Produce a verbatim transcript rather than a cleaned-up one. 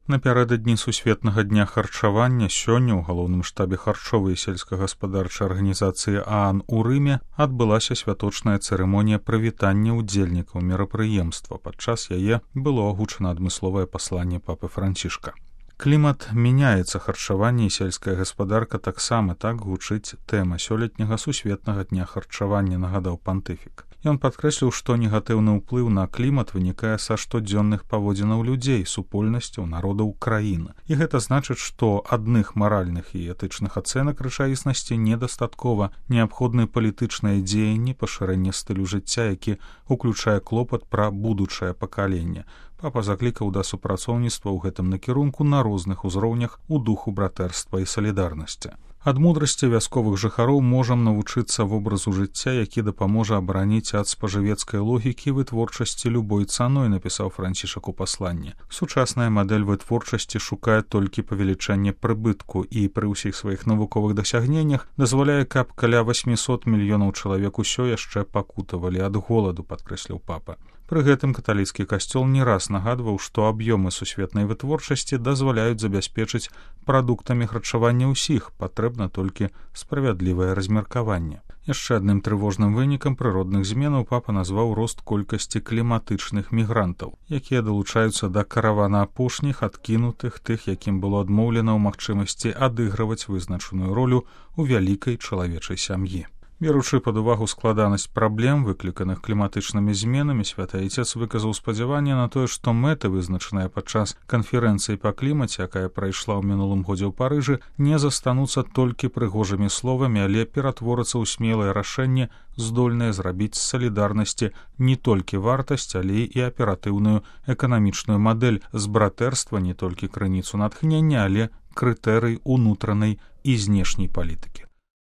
Напярэдадні сусветнага дня харчавання сёння ў галоўным штабе харчовай і сельскагаспадарчай арганізацыі ААН у Рыме адбылася святочная цырымонія прывітання ўдзельнікаў мерапрыемства. Падчас яе было агучана адмысловае пасланне папы Францішка. Клімат мяняецца, харчаванне і сельская гаспадарка таксама, так гучыць тэма сёлетняга сусветнага дня харчавання, нагадаў пантыфік. Ён падкрэсліў, што негатыўны ўплыў на клімат вынікае са штодзённых паводзінаў людзей, супольнасцяў, народаў краіны. І гэта значыць, што адных маральных і этычных ацэнак рэчаіснасці недастаткова, неабходны палітычныя дзеянні, пашырэнне стылю жыцця, які уключае клопат пра будучае пакаленне. Папа заклікаў да супрацоўніцтва ў гэтым накірунку на розных узроўнях у духу братэрства і салідарнасці. Ад мудрасці вясковых жыхароў можам навучыцца вобразу жыцця, які дапаможа абараніць ад спажывецкай логікі вытворчасці любой цаной, напісаў Францішак у пасланні. Сучасная мадэль вытворчасці шукае толькі павелічэнне прыбытку і пры ўсіх сваіх навуковых дасягненнях дазваляе, каб каля восьмісот мільёнаў чалавек усё яшчэ пакутавалі ад голаду, падкрэсліў папа. Пры гэтым каталіцкі касцёл не раз нагадваў, што аб'ёмы сусветнай вытворчасці дазваляюць забяспечыць прадуктамі харчавання ўсіх, патрэбна толькі справядлівае размеркаванне. Яшчэ адным трывожным вынікам прыродных зменаў папа назваў рост колькасці кліматычных мігрантаў, якія далучаюцца да каравана апошніх, адкінутых, тых, якім было адмоўлена ў магчымасці адыгрываць вызначаную ролю ў вялікай чалавечай сям'і. Беручы пад увагу складанасць праблем, выкліканых кліматычнымі зменамі, святы Айцец выказаў спадзяванне на тое, што мэты, вызначаныя падчас канферэнцыі па клімаце, якая прайшла ў мінулым годзе ў Парыжы, не застануцца толькі прыгожымі словамі, але ператворацца ў смелае рашэнне, здольнае зрабіць з салідарнасці не толькі вартасць, але і аператыўную эканамічную мадэль, з братэрства не толькі крыніцу натхнення, але крытэрый унутранай і знешняй палітыкі.